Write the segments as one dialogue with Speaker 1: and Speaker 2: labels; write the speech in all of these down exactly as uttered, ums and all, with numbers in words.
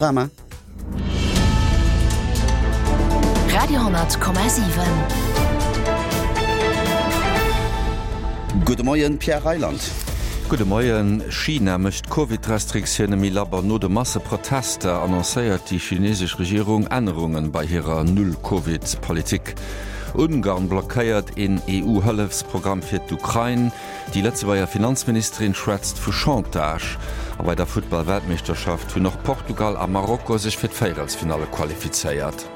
Speaker 1: Drama.
Speaker 2: Radio honnert Komma siwen.
Speaker 1: Gudde Moien, Pierre Reyland.
Speaker 3: Gudde Moien. China mécht d'Covid-Restriktioune méi labber. No de Masseprotester annoncéiert déi chinesesch Regierung Ännerunge bei hirer Null-Covid-Politik. Ungarn blockéiert een EU-Hëllefsprogramm fir d'Ukrain. Déi Lëtzebuerger Finanzministerin schwätzt vu Chantage. A bei der Futtball-Weltmeeschterschaft hunn och Portugal a Marokko sech fir d'Véierelsfinalle qualifizéiert.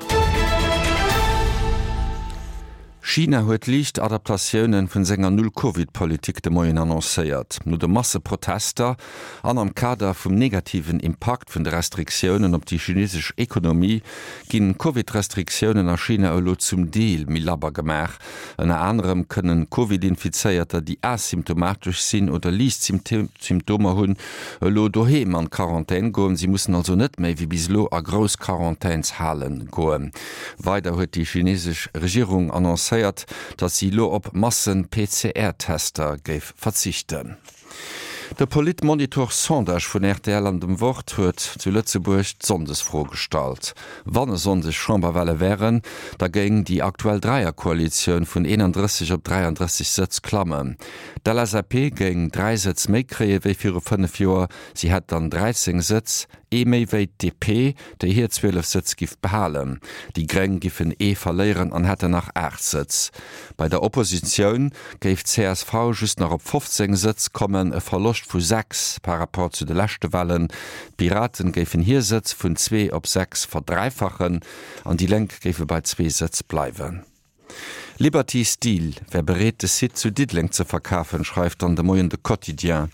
Speaker 3: China huet liicht Adaptatioune vun senger Null-Covid-Politik de Moien annoncéiert. No de Masseprotester an am Kader vum negativen Impakt vun de Restriktiounen op déi chinesesch Ekonomie ginn d'Covid-Restriktiounen a China elo zum Deel méi labber gemaach. Ënner anerem kënnen Covid-Infizéierter, déi asymptomatesch sinn oder liicht Symptomer hunn, elo doheem an d'Quarantän goen. Si mussen also net méi wéi bis elo a grouss Quarantänshalen goen. Weider huet déi chinesesch Regierung annoncéiert, datt si elo op Massen-PCR-Tester géif verzichten. De Politmonitor-Sondage vun rtl an dem Wort huet zu Lëtzebuerg d'Sonndesfro gestallt. Wann e Sonndeg Chamberwale wären, da géing déi aktuell Dräierkoalitioun vun eenandrësseg op dräiandrësseg Sëtz klammen. D'LSAP géing dräi Sëtz méi kréie wéi viru fënnef Joer, si hätt dann dräizéng Sëtz. Ee méi wéi d'DP, déi hir zwielef Sëtz giff behalen. Déi Gréng giffen ee verléieren an hätten nach aacht Sëtz. Bei der Oppositioun géif d'CSV just nach op fofzéng Sëtz kommen, e Verloscht vu sechs par rapport zu de leschte Walen. D'Piraten géifen hir Sëtz vun zwee op sechs verdräifachen an déi Lénk géife bei zwee Sëtz bleiwen. Liberty Steel wär bereet de Site zu Diddeleng ze verkafen, schreift dann de Moien de Quotidien.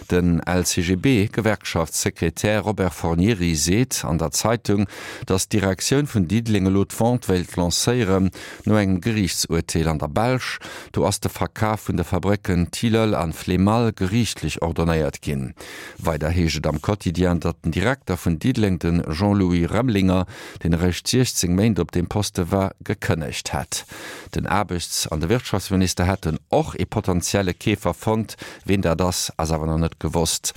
Speaker 3: Den L C G B Gewerkschaftssekretär Robert Fornieri seet an der Zeitung, datt d'Direktioun vun Diddeleng elo d'Vente wéilt lancéieren, no engem Geriichtsurteel an der Belsch. Do ass de Verkaf vun de Fabrécken Tilleul an Flémalle geriichtlech ordonnéiert ginn. Weider heescht et am Quotidien, datt den Direkter vun Diddeleng, de Jean-Louis Remlinger, deen eréischt siechzéng Méint op deem Poste war, gekënnegt hätt. Den Aarbechts an de Wirtschaftsminister hätten och ee potentielle Keefer fonnt. Ween dat ass, ass awer nach net gewosst.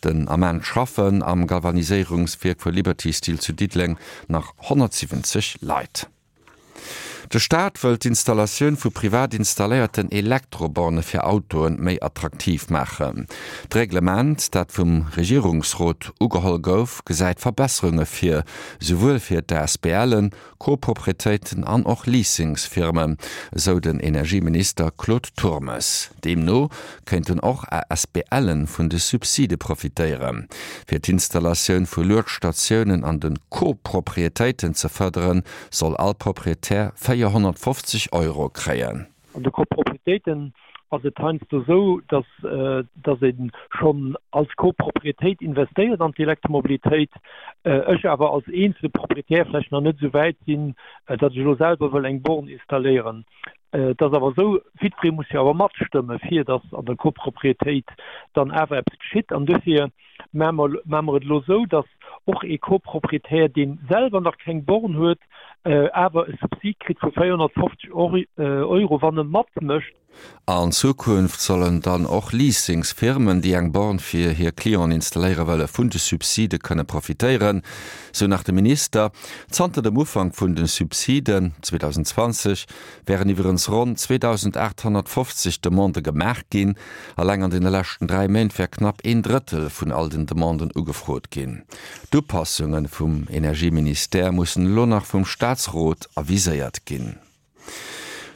Speaker 3: Den Ament schaffen am Galvaniséierungswierk vu Liberty Steel zu Diddeleng nach honnertsiwwenzeg Leit. De Staat wëll d'Installatioun vu privat installéierten Elektroborne fir Autoen méi attraktiv maachen. D'Reglement, dat vum Regierungsrot ugeholl gouf, gesäit Verbesserunge vir, souwuel fir d'ASBLen, Coproprietéiten an och Leasingsfirmen, esou den Energieminister Claude Turmes. Deemno kéinten och A S B Len vun de Subside profitéieren. Fir d'Installatioun vu Luedstatiounen an de Coproprietéiten ze fërderen, soll all Proprietär véierhonnertfofzeg Euro kréien.
Speaker 4: An de Coproprietéiten ass et heiansdo esou, dass, dass ee schonn als Copropriétéit investéiert an d'Elektromobilitéit, ech awer als eenzele Proprietär vläicht nach net esou wäit sinn, datt ech elo selwer wëll eng Born installéieren. Et ass awer esou, jiddweree muss jo awer matstëmme fir datt an der Copropriétéit dann awer eppes geschitt. An duerfir maache mer, maache mer et elo esou, datt och ee Coproprietär, dee selwer nach keng Born huet, awer e Subsid kritt vu véierhonnertfofzeg Euro, wann e matmécht.
Speaker 3: An Zukunft sollen dann och Leasingsfirmen, déi eng Born fir hir Clienten installéiere wëlle, vun de Subside kënne profitéieren, sou nach de Minister. Zanter dem Ufank vun de Subsiden zweedausendzwanzeg wären iwwerens ronn zweedausendaathonnertfofzeg Demandë gemaach ginn. Alleng an deene leschten dräi Méint wär knapp een Drëttel vun all den Demanden ugefrot ginn. D'Upassunge vum Energieministère mussen elo nach vum Staatsrot aviséiert ginn.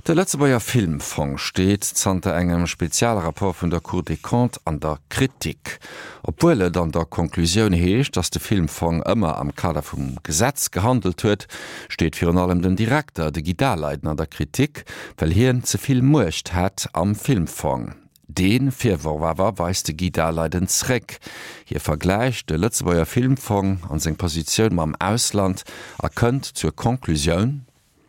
Speaker 3: De Lëtzebuerger Filmfong steet zanter engem Spezialrapport vun der Cour des Comptes an der Kritik. Obwuel et an der Konklusioun heescht, datt de Filmfong ëmmer am Kader vum Gesetz gehandelt huet, steet virun allem den Direkter, de Guy Daleiden, an der Kritik, well hien ze vill Muecht hätt am Filmfong. Dee Virworf awer weist de Guy Daleiden zréck. Hie vergläicht de Lëtzebuerger Filmfong an seng Positioun mam Ausland a kënnt zur Konklusioun,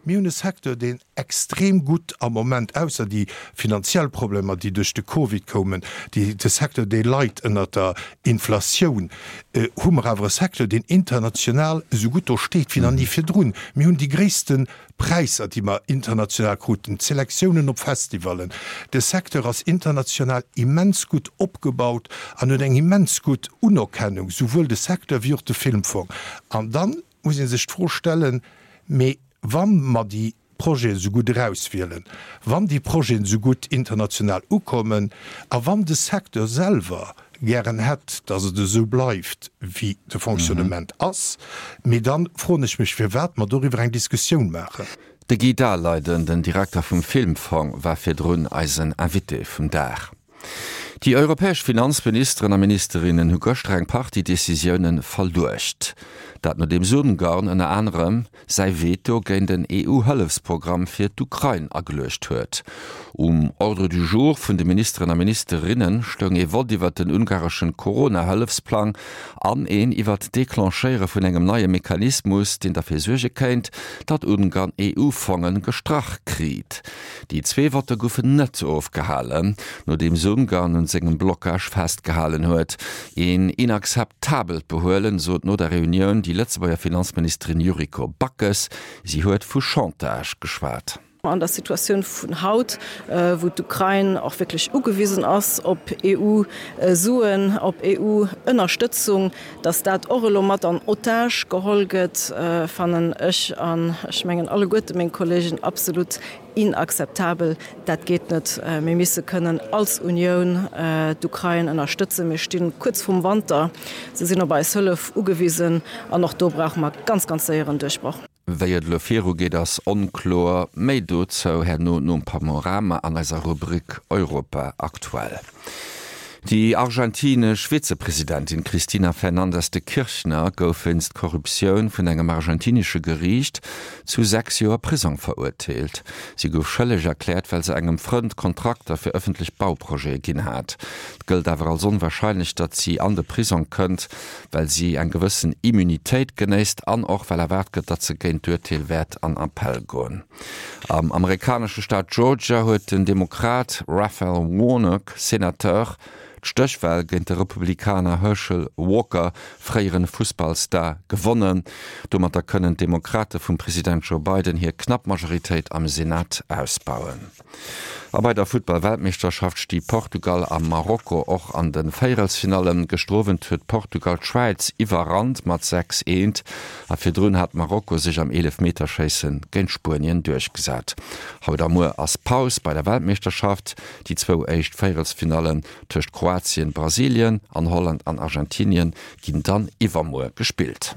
Speaker 5: Mir hunn e Secteur, deen extrem gutt am Moment, ausser déi finanziell Problemer, déi duerch de Covid koumen, déi, de Secteur, dee leit ënnert der Inflatioun, hu mer awer e Secteur, deen international esou gutt do steet wéi nach ni virdrun. Mir hunn déi gréisste Präisser, déi mer international kruten, d'Selektiounen op Festivallen. De Secteur ass international immens gutt opgebaut an huet eng immens gutt Unerkennung, souwuel de Secteur wéi och de Filmfong. An da muss ee sech d'Fro stellen, Mee wa mer déi Projeten esou gutt erauswielen, wann déi Projeten esou gutt international ukommen a wann de Secteur selwer gären hätt, datt et esou bleift, wéi de Fonctionnement ass, mee da froen ech mech, firwat mer doriwwer eng Diskussioun maachen.
Speaker 3: De Guy Daleiden, den Direkter vum Filmfong, war virdrun eisen Invité vum Dag. Déi europäesch Finanzministeren a ministerinnen hu gëschter eng Partie Decisioune verluecht. Dat nodeems Ungarn ënner anerem säi Veto géint en EU-Hëllefsprogramm fir d'Ukrain ageluecht huet. Um Ordre du jour vun de Ministeren a Ministerinne stoung ee Vott iwwert den ungareschen Corona-Hëllefsplang an een iwwert d'Declenchéiere vun engem neie Mechanismus, deen derfir suerge kéint, datt Ungarn EU-Fonge gestrach kriit. Déi zwee Votte goufen net ofgehalen, nodeems Ungarn un sengem Blockage festgehalen huet. Een inakzeptabelt Behuelen, sot no der Reunioun déi Lëtzebuerger Finanzministerin Yuriko Backes. Si huet vu Chantage geschwat.
Speaker 6: An der Situatioun vun haut, wou d'Ukrain och wierklech ugewisen ass op EU-Suen, op EU-Ënnerstëtzung, datt dat och elo mat an Otage geholl gëtt, fannen ech an ech mengen alleguerte meng Kollegen absolut inakzeptabel. Dat geet net. Mir misse kënnen als Unioun d'Ukrain ënnerstëtzen. Mir sti kuerz vrum Wanter. Se sinn op eis Hëllef ugewisen an och do brauche mer ganz, ganz séier en Duerchbroch.
Speaker 3: Wéi et elo virugeet ass onkloer. Méi dozou herno nom Panorama an eiser Rubrik Europa aktuell. Déi argentinesch Vizepresidentin Cristina Fernandez de Kirchner gouf wéinst Korruptioun vun engem argentinesche Geriicht zu sechs Joer Prisong verurteelt. Si gouf schëlleg erkläert, well se engem Frënd Kontrakter fir ëffentlech Bauprojete ginn hat. Et gëllt awer als onwarscheinlech, datt si an de Prisong kënnt, well si eng gewëssen Immunitéit genéisst an och well erwaart gëtt, datt se géint d'Urteel wäert an Appell goen. Am amerikanesche Staat Georgia huet den Demokrat Raphael Warnock, Senateur, d'Stéchwal géint de Republikaner Herschel Walker, fréiere Fussballstar, gewonnen. Domatter kënnen d'Demokrate vum President Joe Biden hir knapp Majoritéit am Senat ausbauen. A bei der Futtball-Weltmeeschterschaft sti Portugal a Marokko och an de Véierelsfinallen. Gëschter Owend huet Portugal d'Schwäiz iwwerrannt mat sechs, eent a virdrun hat Marokko sech am Eelefmeterschéisse géint Spuenien duerchgesat. Haut a muer ass Paus bei der Weltmeeschterschaft. Déi zwou éischt Véierelsfinallen tëscht Kroatien, Brasilien an Holland an Argentinien ginn dann iwwermuer gespillt.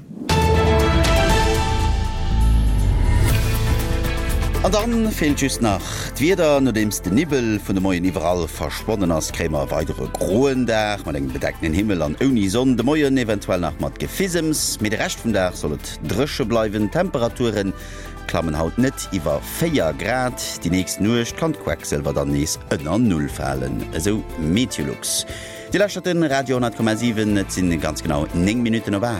Speaker 1: An dann feelt just nach d'Wieder. Nodeems de Niwwel vun de Moien iwwerall verschwonnen ass, kréie mer e weidere groen Dag mat engem bedeckten Himmel an ouni Sonn. De Moien eventuell nach mat Gefisems, mee de Rescht vum Dag soll et dréche bleiwen. D'Temperature klammen haut net iwwer véier Grad. Déi nächst Nuecht kann d'Quecksëlwer dann nees ënner Null falen, esou Meteolux. Dir lauschtert de Radio honnert Komma siwen, et sinn ganz genau néng Minutten op aacht.